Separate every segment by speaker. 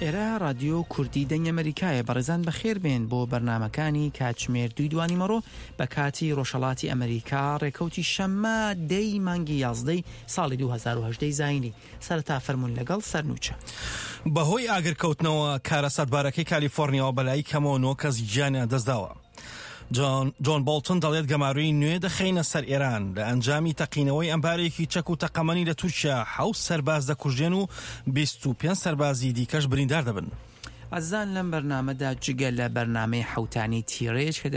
Speaker 1: ئێرە ڕادیۆ کوردی دەنگی ئەمەریکایە بەڕێزان بەخێر بێن بۆ بەرنامەکانی کاتژمێر دووی دوانیمەڕۆ بە کاتی ڕۆژهەڵاتی ئەمەریکا ڕێکەوتی شەممە دەی مانگی یازدەی ساڵی 2018 زایینی سەرەتا فەرموون لەگەڵ سەرنوچە.
Speaker 2: بەهۆی ئاگرکەوتنەوە کارەساتبارەکەی کالیفۆرنیاوە بەلای کەمەوە نۆ کەس گیانیان دەستداوە. جۆن بۆڵتن دەڵێت گەمارۆی نوێ دەخەینە سەر ئێران لە ئەنجامی تەقینەوەی ئەمبارێکی چەک و تەقەمەنی لە تورکیا حەوت سەرباز دەکوژرێن و 25 سەربازی دیکەش بریندار دەبن.
Speaker 1: ئازیزان لەم بەرنامەدا جگە لە بەرنامەی حەوتانەی تیڕێج کە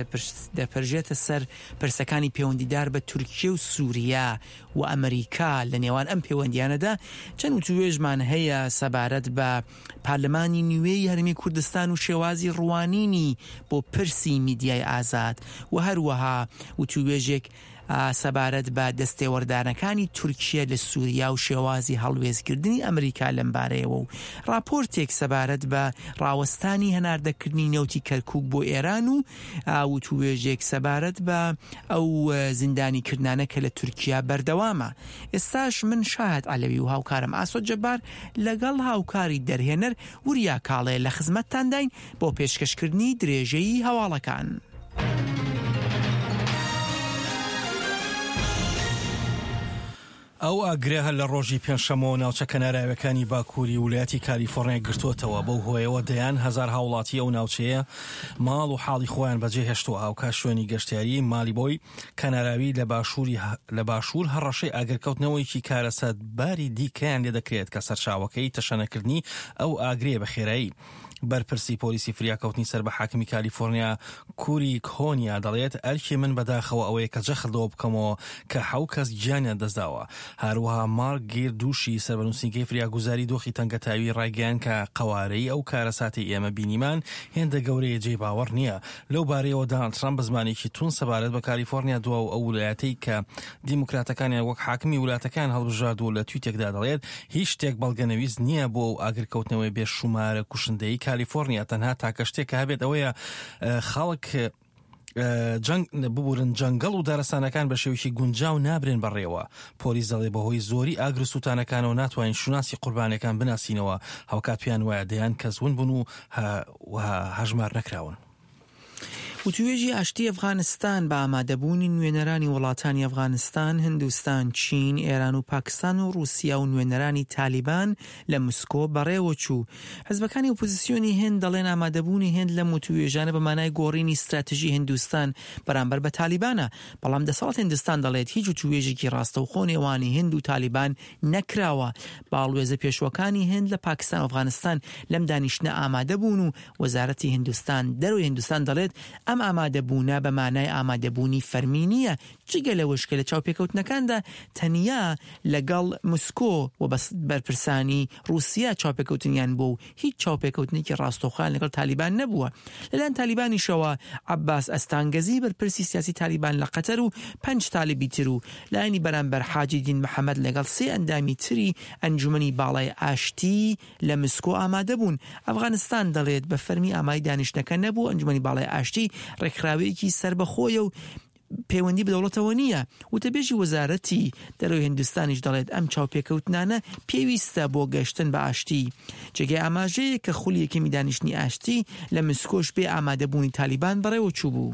Speaker 1: دەپرژێتە سەر پرسەکانی پێوەندیدار بە تورکیە و سووریا و ئەمریکا لە نێوان ئەم پێوەندیانەدا چەند وتووێژمان هەیە سەبارەت بە پارلمانی نوێی هەرێمی کوردستان و شێوازی ڕوانینی بۆ پرسی میدیای ئازاد و هەروەها وتووێژێک سەبارەت بە دەستێوەردانەکانی تورکیە لە سوریا و شێوازی هەڵوێستگردنی ئەمریکا لەمبارەیەوە و ڕاپۆرتێک سەبارەت بە ڕاوەستانی هەناردەکردنی نەوتی کەرکوک بۆ ئێران و وتووێژێک سەبارەت بە ئەو زیندانیکردنانە کە لە تورکیا بەردەوامە. ئێستاش من شاهد عەلەوی و هاوکارم ئاسۆ جەبار لەگەڵ هاوکاری دەرهێنەر وریا کاڵێ لە خزمەتتانداین بۆ پێشکەشکردنی درێژەی هەواڵەکان.
Speaker 2: ئەو ئاگرە هەر لە ڕۆژی پێنجشەممەوە ناوچە کەناراویەکانی باکووری ولایەتی کالیفۆرنیای گرتووەتەوە، بەو هۆیەوە دەیان هەزار هاوڵاتی ئەو ناوچەیە ماڵ و حاڵی خۆیان بەجێهێشتووە، هاوکات شوێنی گەشتیاری مالیبۆی کەناراوی لە باشووری لە باشوور هەڕەشەی ئاگرکەوتنەوەیەکی کارەساتباری دیکەیان لێدەکرێت کە سەرچاوەکەی تەشەنەکردنی ئەو ئاگرەیە بە خێرایی. بەرپرسی پۆلیسی فریاکەوتنی سەر بە حاکمی کالیفۆرنیا کوری کۆنیا دەڵێت ئەرکی من بەداخەوە ئەوەیە کە جەخت لەوە بکەمەوە کە حەو کەس گیانیان دەستداوە. هەروەها مارک گیر دوشی سەر بە نووسینگەی فریاگوزاری دۆخی تەنگەتاوی ڕایگەیاند کە قەوارەی ئەو کارەساتەی ئێمە بینیمان هێندە گەورەیە جێی باوەڕ نییە. لەو بارەیەوە داناڵد ترەمپ بە زمانێکی توند سەبارەت بە کالیفۆرنیا دوا و ئەو ولایەتەی کە دیموکراتەکانیان وەک حاکمی ولاتەکەیان هەڵبژارد و لە تویتێکدا دەڵێت هیچ شتێک بەڵگەنەویست نییە بۆ ئەو ئاگرکەوتنەوەی بێ شومارە کوشندەی کالیفۆرنیا تەنها تاکە شتێک کە هەبێت ئەوەیە خەڵک جەنگ ببورن جەنگەڵ و دارستانەکان بە شێوەیەکی گونجاو نابرێن بەڕێوە پۆلیس دەڵێ بەهۆی زۆری ئاگر و سووتانەکانەوە ناتوانین شوناسی قوربانیەکان بناسینەوە هاوکات پێیان وایە دەیان کەس ون بوون و هەژمار نەکراون.
Speaker 1: وتووێژی ئاشتی ئەفغانستان بە ئامادەبوونی نوێنەرانی وڵاتانی ئەفغانستان، هندوستان، چین، ئێران و پاکستان و ڕووسیا و نوێنەرانی تالیبان لە مسکۆ بەڕێوەچوو. حزبەکانی ئۆپۆزیسیۆنی هند دەڵێن ئامادەبوونی هند لەم وتووێژانە بە مانای گۆڕینی ستراتژی هندوستان بەرامبەر بە تالیبانە، بەڵام دەسەڵاتی هندستان دەڵێت هیچ وتووێژێکی ڕاستەوخۆ نێوانی هند و تالیبان نەکراوە. باڵوێزە پێشووەکانی هند لە پاکستان و ئەفغانستان لەم دانیشتنە ئامادە بوون و وەزارەتی هندستان دەرەوەی هندستان دەڵێت ئەم ئامادەبوونە بە مانای ئامادەبوونی فەرمی نییە، جگە لەوەش کە لە چاوپێکەوتنەکاندا تەنیا لەگەڵ مسکۆ و بەرپرسانی ڕووسیا چاوپێکەوتنیان بووە و هیچ چاوپێکەوتنێکی ڕاستەوخۆیان لەگەڵ تالیبان نەبووە. لەلایەن تالیبانیشەوە عەباس ئەستانگەزی بەرپرسی سیاسی تالیبان لە قەتەر و پەنج تالیبی تر و لایەنی بەرامبەر حاجی دین محەمەد لەگەڵ سێ ئەندامی تری ئەنجومەنی باڵای ئاشتی لە مسکۆ ئامادە بوون. ئەفغانستان دەڵێت بە فەرمی ئامادەی دانیشتنەکە نەبوو، ئەنجومەنی باڵای ئاشتی ڕێکخراوەیەکی سەربەخۆیە و پەیوەندی بە دەوڵەتەوە نییە. وتەبێژی وەزارەتی دەرەوەی هندستانیش دەڵێت ئەم چاوپێکەوتنانە پێویستە بۆ گەشتن بە ئاشتی. جێگەی ئاماژەیە کە خولی یەکەمی دانیشتنی ئاشتی لە مسکۆش بێ ئامادەبوونی تالیبان بەڕێوەچووبوو.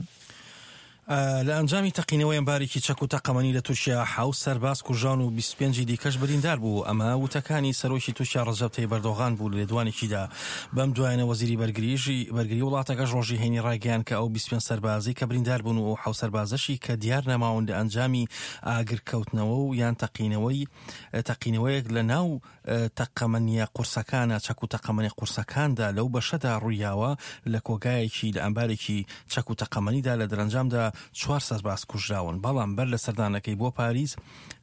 Speaker 2: لە ئەنجامی تەقینەوەی ئەمبارێکی چەک و تەقەمەنی لە تورکیا حەوت سەرباز کوژران و 25 دیکەش بریندار بوو. ئەمە وتەکانی سەرۆکی تورکیا ڕەجەب تەیب ئەردۆغان بوو لە لێدوانێکیدا. بەم دوایانە وەزیری بەرگریش بەرگری وڵاتەکەش ڕۆژی هەینی ڕایگەیاند کە ئەو 25 سەربازەی کە بریندار بوون و ئەو حەوت سەربازەشی کە دیار نەماون لە ئەنجامی ئاگرکەوتنەوە و یان تەقینەوەی تەقینەوەیەک لە ناو تەقەمەنییە قورسەکانە چەک و تەقەمەنی قورسەکاندا لەو بەشەدا ڕوویاوە لە کۆگایەکی لە ئەمبارێکی چەک و تەقەمەنیدا لە دەرەنجامدا چوار سەرباز کوژراون بەڵام بەر لە سەردانەکەی بۆ پاریس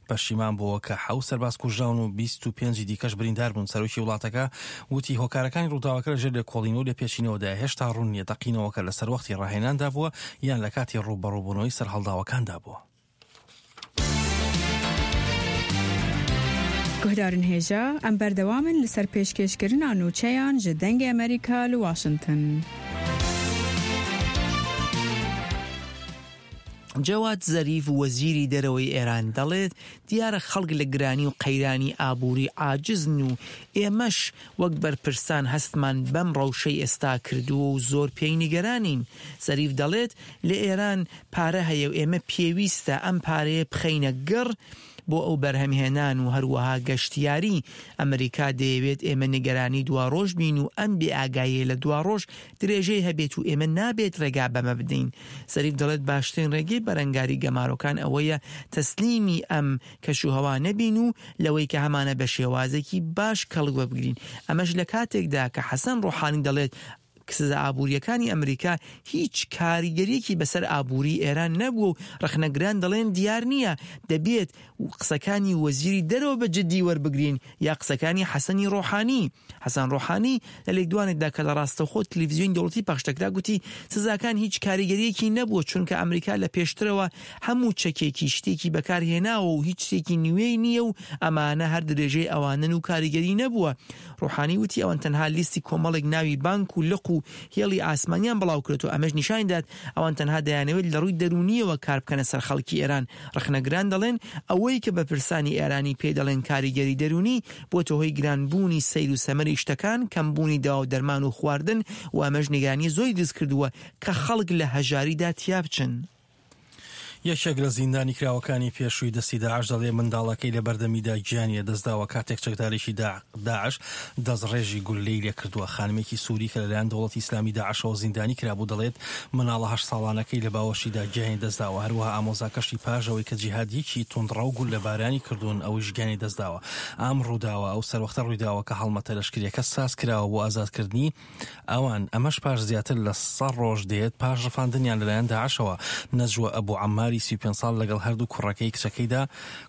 Speaker 2: پەشیمان بووە کە حەوت سەرباز کوژراون و 25 دیکەش بریندار بوون سەرۆکی وڵاتەکە وتی هۆکارەکانی ڕووداوەکە لەژێر لێکۆڵینەوە و لێپێچینەوەدایە هێشتا ڕوون نییە تەقینەوەکە لە سەروەختی ڕاهێناندا بووە یان لە کاتی ڕووبەڕووبوونەوەی سەرهەڵداوەکاندا بووە.
Speaker 3: Guhdarên hêja, em berdewam in li ser pêşkêşkirina nûçeyan ji Dengê Amerîka li Washington.
Speaker 1: جەواد زەریف وەزیری دەرەوەی ئێران دەڵێت، دیارە خەڵک لە گرانی و قەیرانی ئابووری عاجزن و ئێمەش وەک بەرپرسان هەستمان بەم ڕەوشەی ئێستا کردووە و زۆر پێی نیگەرانین. زەریف دەڵێت، لە ئێران پارە هەیە و ئێمە پێویستە ئەم پارەیە بخەینە گەڕ بۆ ئەو بەرهەمهێنان و هەروەها گەشتیاری. ئەمریکا دەیەوێت ئێمە نیگەرانی دواڕۆژ بین و ئەم بێئاگاییە لە دواڕۆژ درێژەی هەبێت و ئێمە نابێت ڕێگا بەمە بدەین. زەریف دەڵێت باشترین ڕێگەی بەرەنگاری گەمارۆکان ئەوەیە تەسلیمی ئەم کەشوهەوا نەبین و لەوەی کە هەمانە بە شێوازێکی باش کەڵک وەبگرین. ئەمەش لە کاتێکدا کە حەسەن ڕۆحانی دەڵێت سزا ئابوورییەکانی ئەمریکا هیچ کاریگەرییەکی بەسەر ئابووری ئێران نەبووە و ڕەخنەگران دەڵێن دیار نییە دەبێت قسەکانی وەزیری دەرەوە بە جددی وەربگرین یا قسەکانی حەسەنی ڕۆحانی. حەسەن ڕۆحانی لە لێکدوانێکدا کە لە ڕاستەوخۆ تلویزیۆنی دەوڵەتی پەخش دەکرا گوتی سزاکان هیچ کاریگەرییەکی نەبووە چونکە ئەمریکا لە پێشترەوە هەموو چەکێکی شتێکی بەکار هێناوە و هیچ شتێکی نوێی نییە و ئەمانە هەر درێژەی ئەوانەن و کاریگەری نەبووە. ڕۆحانی وتی ئەوان تەنها لیستی کۆمەڵێک ناوی بانک و لق و هێڵی ئاسمانیان بڵاوکردەوە ئەمەش نیشانی دات ئەوان تەنها دەیانەوێت لە ڕووی دەروونییەوە کار بکەنە سەر خەڵکی ئێران. ڕەخنەگران دەڵێن ئەوەی کە بەرپرسانی ئێرانی پێی دەڵێن کاریگەری دەروونی بۆتە هۆی گرانبوونی سەیر و سەمەری شتەکان، کەمبوونی دەوا و دەرمان و خواردن و ئەمەش نیگەرانی زۆری دروستکردووە کە خەڵک لە هەژاریدا تیابچن.
Speaker 2: یەکێک لە زیندانیکراوەکانی پێشووی دەستی داعش دەڵێ منداڵەکەی لە بەردەمیدا گیانی لەدەستداوە کاتێک چەکدارێکی داعش دەستڕێژی گوللەی لێکردووە. خانمێکی سووری کە لەلایەن دەوڵەتی ئیسلامی داعشەوە زیندانی کرابوو دەڵێت مناڵە هەشت ساڵانەکەی لە باوەشیدا گیانی لەدەستداوە، هەروەها ئامۆزاکەشی پاش ئەوەی کە جیهادییەکی توندڕەو گوللەبارانی کردوون ئەویش گیانی لەدەستداوە. ئەم ڕووداوە ئەو سەروەختە ڕوویداوە کە هەڵمەتە لەشکرییەکە سازکراوە بۆ ئازادکردنی ئەوان، ئەمەش پاش زیاتر لە سە ڕۆژ دێت پاش ڕفاندنیان لەلایەن داعشەوە، نەجوە ئەبو عەماری 35 ساڵ لەگەڵ هەردوو کوڕەکەی کچەکەیدا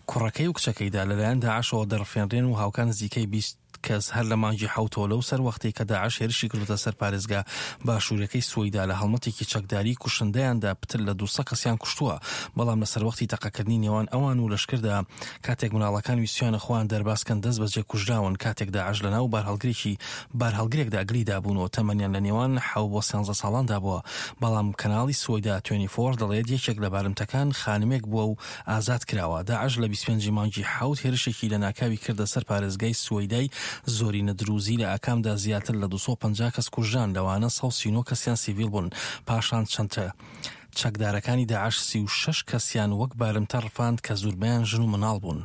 Speaker 2: کوڕەکەی و کچەکەیدا لەلایەن داعشەوە دەڕفێنرێن و هاوکات نزیکەی 20 کەس هەر لە مانگی حەوتەوە لەو سەروەختەی کە داعش هێرشی کردووەتە سەر پارێزگا باشووریەکەی سوەیدا لە هەڵمەتێکی چەکداریی کوشندەیاندا پتر لە 200 کەسیان کوشتووە بەڵام لە سەروەختی تەقەکردنی نێوان ئەوان و لەشکردا کاتێک مناڵەکان ویستویانە خۆیان دەرباز کەن دەست بەجێ کوژراون کاتێک داعش لەناو بارهەڵگرێکی بارهەڵگرێکدا گلی دابوون و تەمەنیان لە نێوان حەو بۆ سیانزە ساڵاندا بووە بەڵام کەناڵی سوەیدا توێنی فۆر دەڵێت یەکێک لە بارمتەکان خانمێک بووە و ئازاد کراوە داعش لە 25 مانگی حەوت هێرشێکی لەناکاوی کردە سەر پارێزگای سوەیدای زۆرینە دروزی لە ئاکامدا زیاتر لە 250 کەس کوژران لەوانە 139 کەسیان سیڤیل بوون پاشان چەند چەکدارەکانی داعش 36 کەسیان وەک بارمتە ڕفاند کە زوربەیان ژن و مناڵ بوون.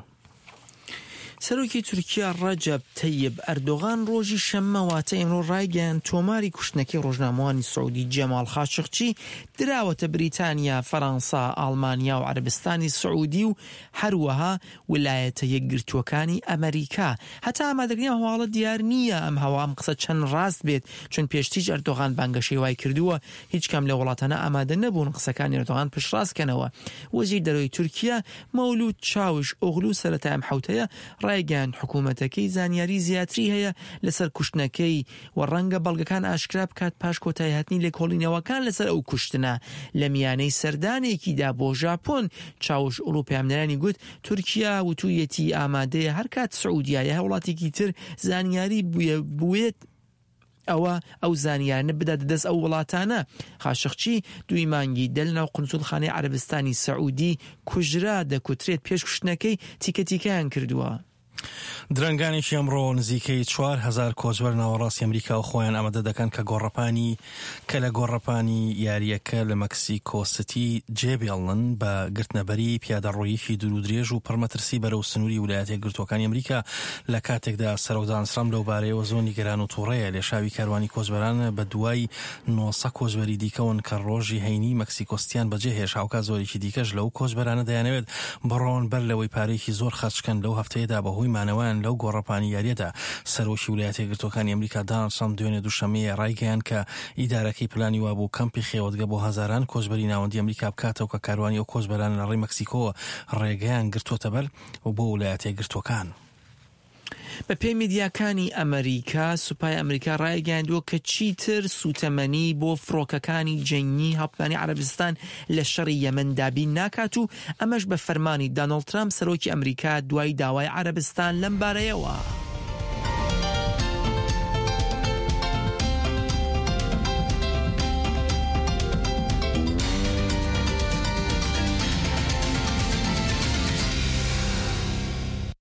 Speaker 1: سەرۆکی تورکیا ڕەجەب تەیب ئەردۆغان ڕۆژی شەممە واتە ئیمڕۆ ڕایگەیاند تۆماری کوشتنەکەی ڕۆژنامەوانی سعودی جەماڵ خاشقچی دراوەتە بریتانیا، فەرەنسا، ئاڵمانیا و عەرەبستانی سعودی و هەروەها ولایەتە یەکگرتووەکانی ئەمەریکا. هەتا ئامادەکردنی ئەم هەواڵە دیار نییە ئەم هەوا ئەم قسە چەند ڕاست بێت چون پێشتریش ئەردۆغان بانگەشەی وای کردووە هیچ کام لەو وڵاتانە ئامادە نەبوون قسەکانی ئەردۆغان پشتڕاست کەنەوە. وەزیر دەرەوەی تورکیا مەولود چاوش ئۆغلو سەرەتای ئەم حەوتەیە ڕایگەیاند حکوومەتەکەی زانیاری زیاتری هەیە لەسەر کوشتنەکەی و ڕەنگە بەڵگەکان ئاشکرا بکات پاش کۆتاییهاتنی لێکۆڵینەوەکان لەسەر ئەو کوشتنە. لە میانەی سەردانێکیدا بۆ ژاپۆن، چاوش ئۆغلو پەیامنێرانی گوت، تورکیا وتوویەتی ئامادەیە هەرکات سعودیا یا هەر وڵاتێکی تر زانیاری بوێت، ئەوە ئەو زانیارانە بداتە دەست ئەو وڵاتانە. خاشقچی دووی مانگی دە لەناو قونسوڵخانەی عەرەبستانی سەعودی کوژرا، دەکوترێت پێش کوشتنەکەی تیکە تیکەیان کردووە.
Speaker 2: درەنگانێکی ئەمڕۆ نزیکەی 4000 کۆچبەر ناوەڕاستی ئەمریکا و خۆیان ئامادە دەکەن کە گۆڕەپانی کە لە گۆڕەپانی یارییەکە لە مەکسیکۆ سیتی جێبێڵن بە گرتنەبەری پیادەڕۆییەکی دوورودرێژ و پڕمەترسی بەرەو سنووری ولایەتە یەکگرتووەکانی ئەمریکا لە کاتێکدا سەرۆک دانڵد ترامپ لەو بارەیەوە زۆر نیگەران و توڕەیە. لێشاوی کاروانی کۆچبەران بە دوای 900 کۆچبەری دیکەوەن کە ڕۆژی هەینی مەکسیکۆ سیتیان بەجێهێشت، هاوکات زۆرێکی دیکەش لەو کۆچبەرانە دەیانەوێت بڕۆن بەر لەوەی پارەیەکی زۆر خەرج کەن لەو هەفتەیەدا بەهۆی مانەوەیان لەو گۆڕەپانی یارییەدا. سەرۆکی ولایەتە یەکگرتووەکانی ئەمریکا دانڵد ترامپ دوێنێ دووشەممەیە ڕایگەیاند کە ئیدارەکەی پلانی وابوو کەمپی خێوەتگە بۆ هەزاران کۆچبەری ناوەندی ئەمریکا بکاتەوە کە کاروانی ئەو کۆچبەرانە لە ڕێی مەکسیکۆوە ڕێگەیان گرتووەتەبەر و بۆ ولایەتە یەکگرتووەکان.
Speaker 1: بەپێی میدیاکانی ئەمریکا، سوپای ئەمریکا ڕایگەیاندووە کە چیتر سووتەمەنی بۆ فڕۆکەکانی جەنگی هاوپەیمانی عەرەبستان لە شەڕی یەمەن دابین ناکات و ئەمەش بە فەرمانی دانۆڵد ترامپ سەرۆکی ئەمریکا دوای داوای عەرەبستان لەم بارەیەوە.